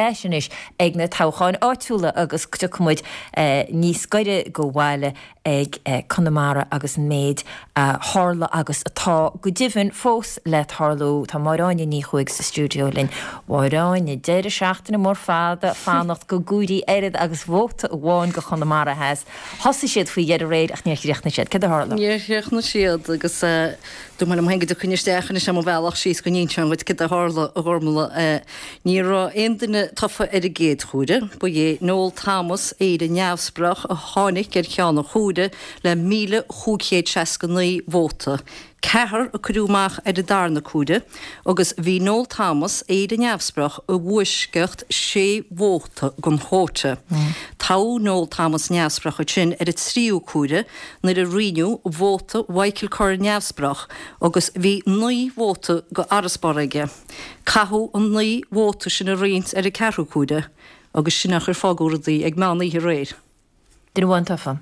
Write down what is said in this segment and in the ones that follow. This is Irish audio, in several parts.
ais anois ag na toghcháin áitiúla agus tiocfaidh muid níos gaire go bhaile ag Conamara agus an méid a tharla agus atá go deimhin fós le tarlú. Tá Máire Áine Ní Chuaig sa stiúideo linn. Máire Áine, deireadh seachtaine mór fada fanacht go gcuirí oiread agus vóta amháin go Chonamara Theas. Thosaigh siad faoi dheireadh aréir ach níor chríochnaigh siad. Céard a tharla? Níor chríochnaigh siad agus dúirt mé liom féin go dtiocfainn isteach anois ar mo bhealach síos go n-inseoinn dhuit céard a tharla a Ghormlaith. Ní raibh aon duine tofa ar an gcéad chuaire. Ba é Noel Thomas, Éire Neamhspleách, a tháinig ar cheann an chuaire le 1,569 vóta. Ceathrar a cuireadh amach ar an darna cuaire agus bhí Noel Thomas, Éire Neamhspleách, i bhfoisceacht sé vóta den chuóta. Toghadh Noel Thomas Neamhspleách ansin ar an tríú cuaire nuair a roinneadh vóta Mhichael Curran Neamhspleách agus bhí 9 vóta d'fharasbarr aige. Caitheadh an 9 vóta sin a roinnt ar an ceathrú cuaire agus sin é an chaoi ar fágadh rudaí ag meán oíche aréir. Duine amháin tofa.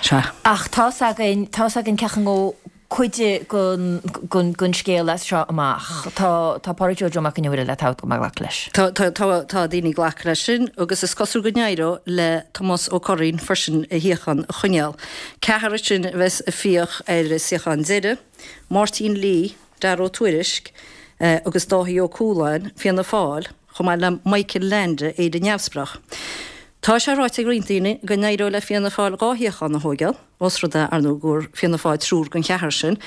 Sea. Ach tá's againn, tá's againn cén chaoi a ngabhfaidh cuid den, den scéal as seo amach. Tá, tá Pádraig Joe Joe Mac an Iomaire le toghadh go maith glacadh leis. Tá, tá, tá, tá daoine ag glacadh leis sin agus is cosúil go n-éireoidh le Tomás Ó Curraoin freisin a shuíochán a choinneáil. Ceathrar ansin a bheas ag fiach ar an suíochán deiridh, Máirtín Lee, Dara Ó Tuairisg agus Dáithí Ó Cualáin, Fianna Fáil, chomh maith le Michael Leainde, Éire Neamhspleách. Tá sé ráite ag roinnt daoine go n-éireoidh le Fianna Fáil 2 shuíochán a thóigeáil, ós rud é, ar ndóigh, go bhfuair Fianna Fáil triúr den cheathrar sin,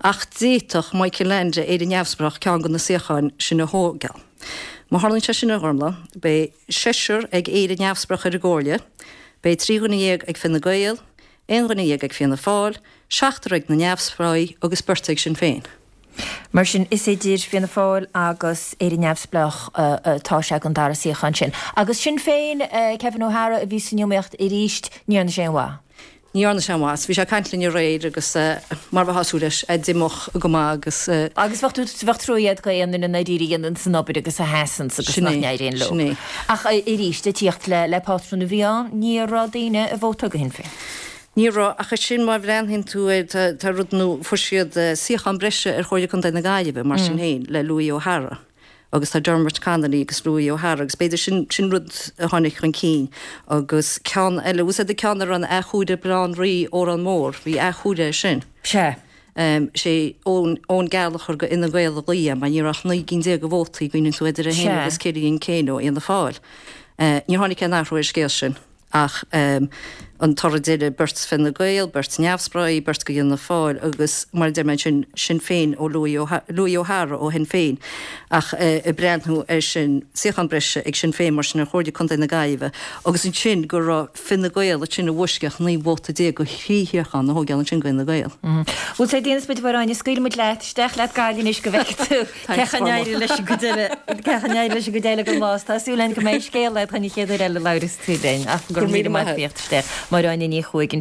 ach d'fhéadfadh Michael Leainde, Éire Neamhspleách, ceann de na suíocháin sin a thóigeáil. Má tharlaíonn sé sin, a Ghormlaith, beidh seisear ag Éire Neamhspleách ar an gComhairle, beidh 13 dhuine ag Fine Gael, 11 dhuine ag Fianna Fáil, seachtar ag na Neamhspleáigh agus beirt ag Sinn Féin. Mar sin, is idir Fianna Fáil agus Éire Neamhspleách atá sé don dara suíochán sin. Agus Sinn Féin, Kevin O'Hara a bhí san iomaíocht arís, ní dhearna sé aon mhaith. Ní dhearna sé aon mhaith. Bhí sé ag caint linn aréir agus mar a bheifeá ag súil leis, é díomách go maith agus. Agus bheadh tú, bheadh trua agat do aon duine i ndáiríre a dhéananns an obair agus a sheasanns agus nach n-éiríonn leo. Sin é. Ach arís, ag tíocht le pátrún a bhí ann, ní raibh daoine ag vótáil do Shinn Féin. Ní raibh, ach ansin má bhreathnaíonn tú air, tá, tá rud nó fuair siad suíochán breise ar Chomhairle Contae na Gaillimhe mar sin féin le Louis O'Hara agus tá Dermot Connolly agus Louis O'Hara agus b'fhéidir sin, sin rud a tháinig chun cinn agus ceann eile, bhfuil a fhios agat an ceann a raibh an athchuaire Baile Átha an Rí, Órán Mór, bhí athchuaire air sin. Sea. Sé Eoin, Eoin Gallagher go Fhine Gael a ghlaoigh é mar ní raibh ach 19 gcinn de vótaí, cuimhníonn tú idir é féin agus Cillian Keane ó Fhianna Fáil. Níor tháinig aon athrú ar an scéal sin. Ach an toradh deiridh, beirt Fine Gael, beirt Neamhspleáigh, beirt go Fhianna Fáil agus, mar a deir mé ansin, Sinn Féin ó Louis Louis O'Hara ó Shinn Féin. Ach ag breathnú air sin, suíochán breise ag Sinn Féin mar sin ar Chomhairle Contae na Gaillimhe agus ansin go raibh Fine Gael ansin i bhfoisceacht 19 vóta go thrí shuíochán a thóigeáil ansin go Fhine Gael. Bhuel, tá déanamh muid a Mháire, scaoilfidh muid leat, isteach leat Gaillimh anois go bhfeicfidh tú. Cén chaoi a n-éireoidh leis an gcuid eile, cén chaoi a n-éireoidh leis an gcuid eile den lá is tá súil againn go mbeidh scéal agat an chéad uair eile a labhras tú linn. Ach go raibh míle maith agat as tíocht isteach. Máire Áine Ní Chuaig ansin.